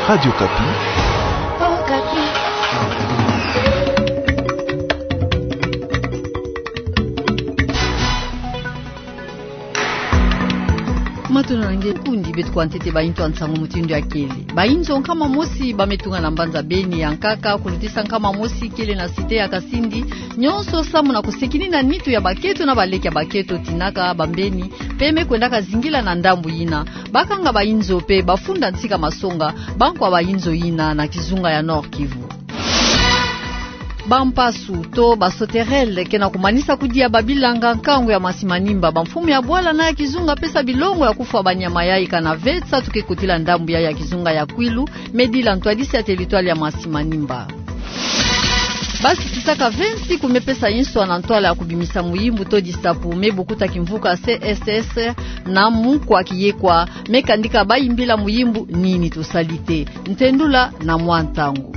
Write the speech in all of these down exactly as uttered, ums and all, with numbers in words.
Radio Okapi. Matondo na nge, kundi beto kwa ntete bainzo ya nsangu mutindu ya kele. Bainzo nkama mosi ba me tunga na mbanza Beni ya nkaka, kulutisa nkama mosi kele na cité ya Kasindi, nyonso samu na kusekinina nitu ya baketo na baleke ya baketo, tinaka bambeni, pe me kwendaka zingila na ndambu yina. Bakanga bainzo pe bafunda nsika masonga, bankwa bainzo yina na kizunga ya Nord-Kivu. Bampasu to ba sauterelles ke na kumanisa kudia babilanga nkangu ya Masi Manimba. Bamfumu ya bwala na ya kizunga pesa bilongo ya kufwa banyama yayi kana ve nsatu ke kotila ndambu ya ya kizunga ya Kwilu, me dila ntwadisi ya territoire ya Masi Manimba. Basi kisaka vingt-six ku me pesa inswa na ntwala ya kubimisa muyimbu to disapu, me bukuta kimvuka C S S na mukwa kiyekwa, me kandika bayimbila muyimbu Nini tosali te. Ntendula na mwa ntangu.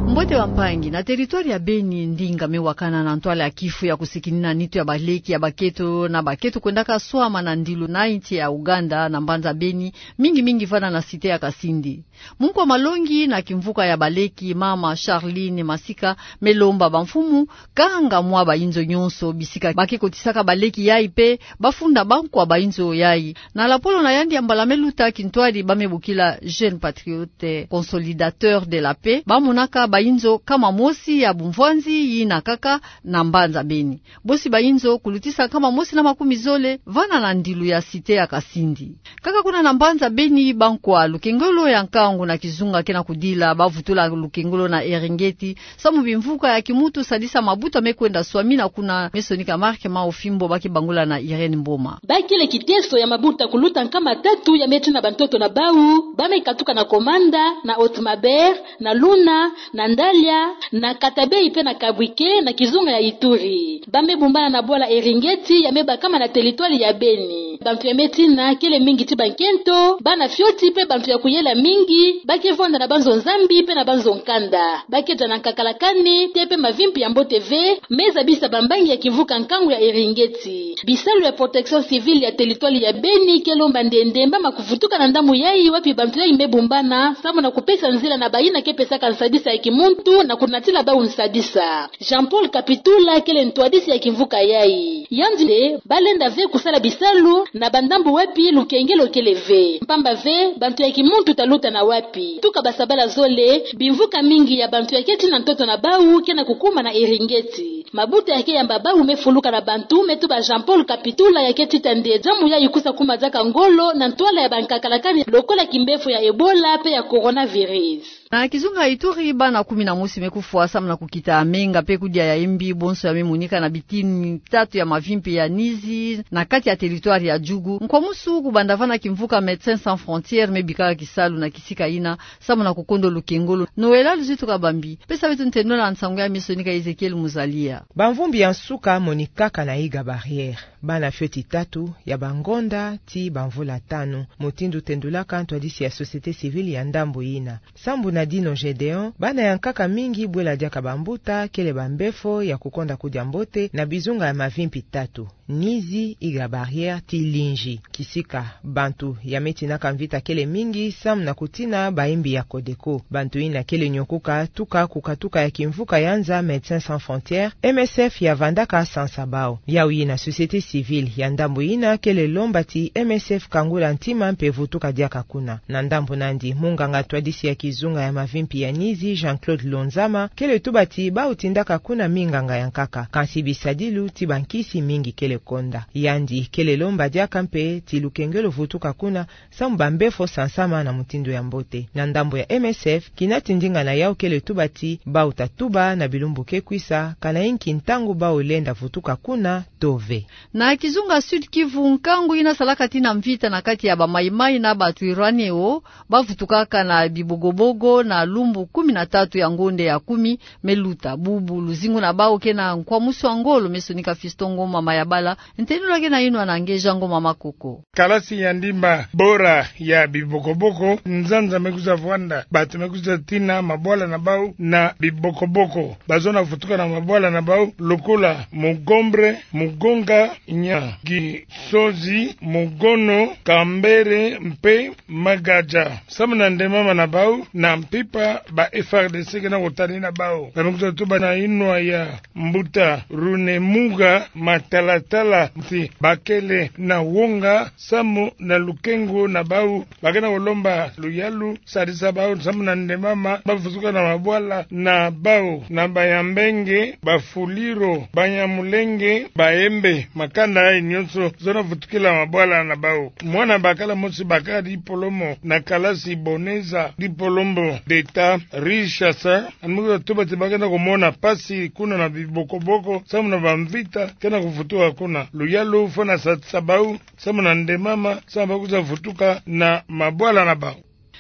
Mbote bampangi, na territoire ya Beni, ndinga me wakana na ntwala ya kifu ya kusekinina nitu ya baleke ya baketo na baketo kwendaka swama na ndilu na insi ya Ouganda na mbanza Beni, mingi mingi vana na cité ya Kasindi. Munkwa malongi na kimvuka ya baleke, mama Charline Masika, me lomba bamfumu kanga mwa bainzo nyonso bisika ba ke kotisaka baleke yayi pe bafunda bankwa bainzo yayi. Na lapolo na yandi ya mbala me luta, kintwadi ba me bokila Jeunes Patriotes Consolidateurs de la Paix, ba monaka bainzo nkama mosi ya bumvwanzi yina kaka na mbanza Beni. Bosi bainzo kulutisa nkama mosi na makumi zole vana na ndilu ya cité ya Kasindi. Kaka kuna na mbanza Beni, bankwa lukengolo ya nkangu na kizunga ke na kudila bavutula lukengolo na Eringeti, samu bimvuka ya kimuntu sadisa mabuta me kwenda swamina kuna. Me sonika Marc Maofimbo ba ke bangula na Irène Mboma. Ba kele kiteso ya mabuta kuluta nkama tatu ya me tina bantoto na bau, ba me katuka na Komanda, na Haute-Maubert, na Luna, na Ndalia, na Katabey pe na Kabwike, na kizunga ya Ituri. Ba me bumbana na bwala Eringeti ya me bakama na territoire ya Beni. Bantu ya me tina kele mingi ti bankento, bana fioti pe bantu ya kuyela mingi, ba ke vwanda na banzo nzambi pe na banzo nkanda. Ba ke za na nkakala kani te pe mavimpi ya mbote ve, me zabisa bambangi ya kimvuka nkangu ya Eringeti. Bisalu ya protection civile ya territoire ya Beni ke lomba nde nde mama kuvutuka na ndambu yayi wapi bantu yayi me bumbana, samu na kupesa nzila na bayina ke pesaka nsadisa ya kimuntu na kunatila bau nsadisa. Jean-Paul Kapitula kele ntwadisi ya kimvuka yayi. Yandi nde ba lenda ve kusala bisalu na bandambu wapi lukengelo kele ve. Mpamba ve, bantu ya kimuntu ta luta na wapi? Tuka basabala zole, bimvuka mingi ya bantu ya ke tina ntoto na bau ke na kukuma na Eringeti. Mabuta ya ke yamba bau me fuluka na bantu, me tuba Jean-Paul Kapitula ya ke tita nde diambu yayi kusa kuma diaka ngolo na ntwala ya bankakala kani lokola kimbefo ya Ebola pe ya coronavirus. Na kizunga Ituri, bana kumi na mosi me kufwa samu na kukita menga pe kudia ya mbi, bonso ya me monika na bitini tatu ya mavimpi ya Nizi, na kati ya territoire ya Djugu. Nkwamusu kubanda vana kimvuka Médecins Sans Frontières me bikaka kisalu na kisika yina, samu na kukondo lukengolo. Noëlla Luzitu Kabambi pesa beto ntendula na nsangu ya me sonika Ezekiel Muzalia. Bamvumbi ya nsuka monikaka na Iga Barrière. Bana fioti tatu ya bangonda ti bamvula tanu, mutindu tendulaka ntwadisi ya société civile ya ndambu yina. Sambu na Dino Gédéon, bana ya nkaka mingi bwela diaka bambuta kele bambefo ya kukonda kudia mbote na bizunga ya mavimpi tatu: Nizi, Iga Barrière ti Lingi. Kisika bantu ya me tinaka mvita kele mingi samu na kutina bayimbi ya Codeco. Bantu yina kele nyokuka tuka kukatuka ya kimvuka ya nza Médecins Sans Frontières, M S F ya vandaka sansa bau. Yau yina société civile ya ndambu yina kele lomba ti M S F kangula ntima mpe vutuka diaka kuna. Na ndambu nandi, munganga ntwadisi ya kizunga ya mavimpi ya Nizi, Jean-Claude Lonzama, kele tuba ti bau tindaka kuna minganga ya nkaka. Kansi bisadilu ti bankisi mingi kele konda. Yandi kele lomba diaka mpe ti lukengelo vutuka kuna, samu bambefo sansama na mutindu ya mbote. Na ndambu ya M S F, kina ti ndinga na yau kele tuba ti bau ta tuba na bilumbu ke kwisa, kana inki ntangu bau lenda vutuka kuna to ve. Na kizunga Sud-Kivu, nkangu yina salaka tina mvita na kati ya ba Mai-Mai na ba Twirwaneho, bavutukaka na bibogobogo na lumbu kumi na tatu ya ngonde ya kumi me luta. Bubu luzingu na bau ke na nkwamusu ya ngolo, me sonika Fiston Ngoma Mayabala. Ntendula ke na inwa na nge Jean Ngoma Makoko. Kalasi ya ndimba bora ya bibokoboko, nzanza me kwiza vwanda, bato me kwiza tina mabwala na bau na bibokoboko. Bazona vutuka na mabwala na bau lokola Mugombre, Mugonga, Nya, Gisozi, Mugono, Kambere mpe Magaja. Samu na ndemama na bau na mpimpa, ba F A R D C ke na kutani na bau. Ba me kwiza tuba na inwa ya mbuta Runemuga, matalatala nti bakele na wonga samu na lukengo na bau. Ba ke na kulomba luyalu sadisa bau samu na ndemama ba vutuka na mabwala na bau, na Banyambenge, Bafuliro, Banyamulenge, Bayembe, makanda yayi nyonso zona vutukila mabwala na bau. Mwana bakala mosi bakala dipolome na kalasi Boneza, dipolome d'État, Richard, a me kwiza tuba ti ba ke na kumona mpasi kuna na bibokoboko samu na bamvita ke na kuvutuka kuna. Luyalu fo na sadisa bau samu na ndemama samu ba kwiza vutuka na mabwala na bau.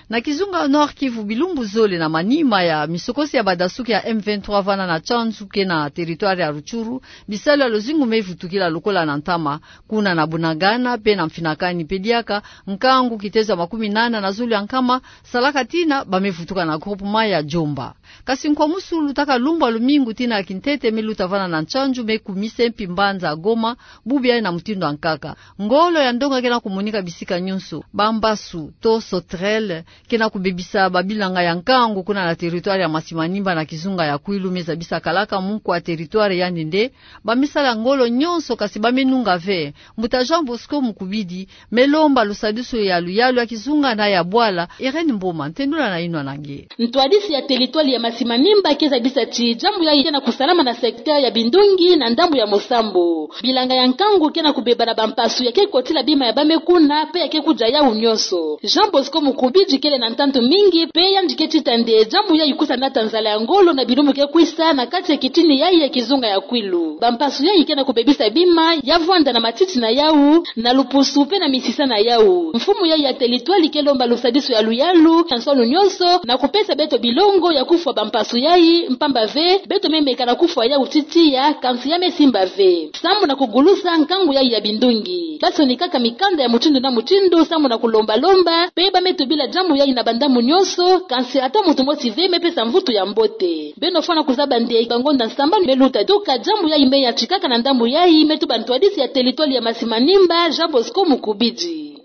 Na kizunga Nord-Kivu, bilumbu zole na manima ya misokosi ya badasuki ya M vingt-trois vana na Tchanzu ke na territoire ya Rutshuru, bisalu ya luzingu me vutukila lokola na ntama. Kuna na Bunagana mpe na Mfinakani mpe diaka, nkangu kitezo ya makumi nana na zulu ya nkama salaka tina ba me vutuka na groupement ya Djomba. Kasi nkwamusu lutaka lumbu ya lumingu tina ya kintete me luta vana na Tchanzu me kumisa mpi mbanza ya Goma, bubu yayi na mutindu ya nkaka. Ngolo ya ndonga ke na kumonika bisika nyonso. Bambasu to sauterelles ke na kubebisa babilanga ya nkangu kuna na territoire ya Masimanimba na kizunga ya Kwilu, me zabisa kalaka munkwa territoire yandi nde ba me sala ngolo nyonso kasi ba me nunga ve. Mbuta Jean Bosco Mukubidi me lomba lusadisu ya luyalu ya kizunga na ya bwala. Irène Mboma, ntendula na inwa na nge. Ntwadisi ya territoire ya Masimanimba ke zabisa ti jambu yayi ke na kusalama na secteur ya Bindungi na ndambu ya Mosambo. Bilanga ya nkangu ke na kubeba na bampasu ya ke kotila bima ya ba me kuna mpe ya ke kudia yawu nyonso. Jean Bosco Mukubidi kele na ntantu mingi mpe yandi ke tita nde jambu yayi kwiza nata nzala ya ngolo na bilumbu ke kwiza na kati ya kitini yayi ya kizunga ya Kwilu. Bampasu yayi ke na kubebisa bima ya vwanda na matiti na yawu, na lupusu mpe na misisa na yawu. Mfumu yayi ya territoire ke lomba lusadisu ya luyalu ya nswalu nyonso na kupesa beto bilongo ya kufwa bampasu yayi, mpamba ve beto me meka na kufwa yawu ti tiya, kansi ya me simba ve. Samu na kugulusa nkangu yayi ya Bindungi, ba sonikaka mikanda ya mutindu na mutindu samu na kulomba-lomba, mpe ba me tubila jambu yayi na bandambu nyonso, kansi ata muntu mosi ve me pesa mvutu ya mbote. Beno fwana kuzaba nde bangonda sambanu me luta tuka jambu yayi me yantikaka na ndambu yayi, me tuba ntwadisi ya territoire ya Masimanimba, Jean Bosco Mukubidi.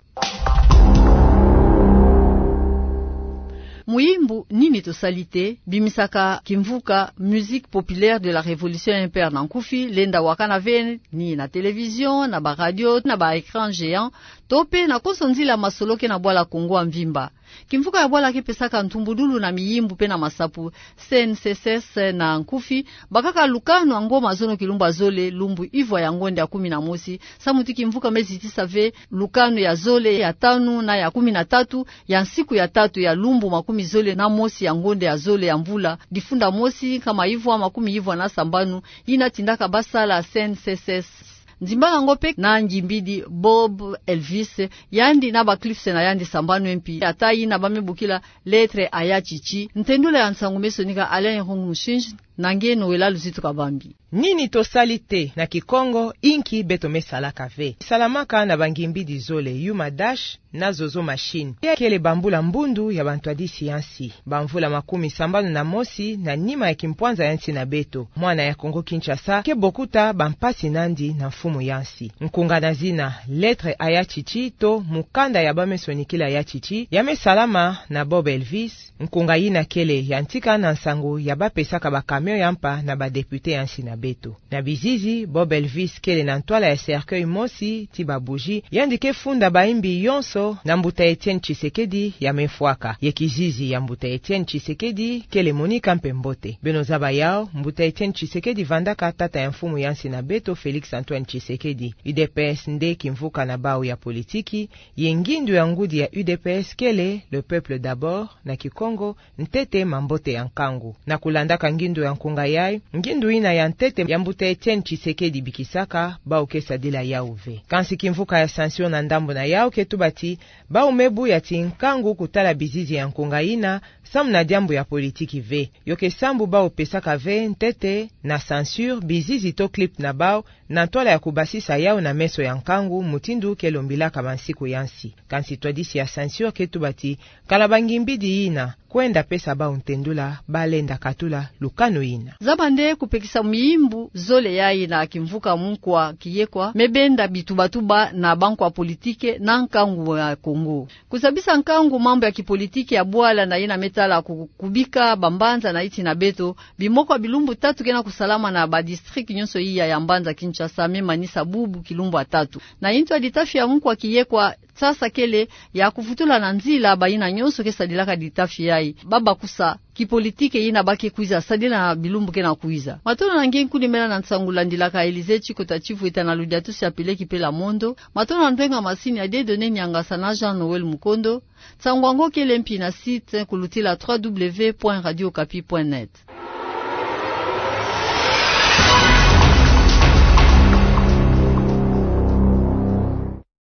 Muyimbu Nini tosali te, bimisaka kimvuka Musique populaire de la Révolution, M P R na nkufi, lenda wakana ve ni na télévision, na ba radio, na ba écran géant, to mpe na konso nzila masolo ke na bwala Kongo ya mvimba. Kimvuka ya bwala ke pesaka ntumbudulu na miyimbu mpe na masapu, C N C S S na nkufi, bakaka lukanu ya ngoma zono kilumbu ya zole, lumbu ivwa ya ngonde ya kumi na mosi, samu ti kimvuka me zitisa ve lukanu ya zole, ya tanu na ya kumi na tatu ya nsiku ya tatu ya lumbu makumi zole na mosi ya ngonde ya zole ya mvula difunda mosi, nkama ivwa makumi ivwa na sambanu, yina tindaka ba sala C N C S S. Nzimbala ngo mpe na ngimbidi Bob Elvis, yandi na ba clips na yandi sambanu mpi, ata yina ba me bokila Lettre à Yatshitshi. Ntendula ya nsangu me sonika Alain Irung Mushinji, na nge Noëlla Luzitu Kabambi. Nini tosali te, na Kikongo, inki beto me salaka ve, salamaka na bangimbidi zole, Yuma Dash na Zozo Machine. Yayi kele bambula mbundu ya bantwadisi ya nsi, bamvula makumi sambanu na mosi na nima ya kimpwanza ya nsi na beto. Mwana ya Kongo-Kinshasa ke bokuta bampasi na yandi na mfumu ya nsi. Nkunga na zina Lettre à Yatshitshi to Mukanda ya ba me sonikila Yatshitshi, ya me salama na Bob Elvis, nkunga yina kele yantika na nsangu ya ba pesaka ba camion ya mpa na ba député ya nsi na beto. Na bizizi, Bob Elvis kele na ntwala ya cercueil mosi ti ba bougie, yandi ke funda bayimbi yonso na mbuta Etienne Tshisekedi ya me fwaka. Ye kizizi ya mbuta Etienne Tshisekedi kele monika mpe mbote. Beno zaba yawu, mbuta Etienne Tshisekedi vandaka tata ya mfumu ya nsi na beto Félix Antoine Tshisekedi. U D P S nde kimvuka na bawu ya politiki, ye ngindu ya ngudi ya U D P S kele Le Peuple d'abord, na Kikongo, ntete mambote ya nkangu. Na kulandaka ngindu ya nkunga yayi, ngindu yina ya ntete ya mbuta Etienne Tshisekedi bikisaka, bawu ke sadila yawu ve. Kansi kimvuka ya censure na ndambu na yawu ke tuba ti, bawu me buya ti nkangu kutala bizizi ya nkunga yina, samu na diambu ya politiki ve. Yo ke sambu bawu pesaka ve ntete na censure bizizi to clip na bawu, na ntwala ya kubasisa yawu na meso ya nkangu, mutindu ke lombilaka bansiku ya nsi. Kansi twadisi ya censure ke tuba ti, kala bangimbidi yina, kwenda pesa bawu ntendula, balenda katula lukanu yina. Zaba nde kupekisa miyimbu zole yayi na kimvuka munkwa kiyekwa me benda bitubatuba na bankwa politike na nkangu ya Kongo. Kuzabisa nkangu mambu ya kipolitike ya bwala na yina me tala ku-, kubika bambanza na yiti na beto, bimoko ya bilumbu tatu ke na kusalama na badistrict nyonso iya ya mbanza Kinshasa, me manisa bubu kilumbu ya tatu. Na yintu ya ditafi ya munkwa kiyekwa, sasa kele ya kuvutula na nzila bayina nyonso ke sadilaka ditafi yayi, babakusa kipolitike yina ba ke kwiza sadila na bilumbu ke na kwiza. Matondo na nge nkuni mena na nsangu landilaka Elisée Tshikota Tshivweta na Ludiatus Apele Kipela Mondo. Matondo na ndwenga masini ya Dieudonné Niangasa na Jean Noël Mukondo. Nsangu yango kele mpi na site kulutila trois W point radio okapi point net.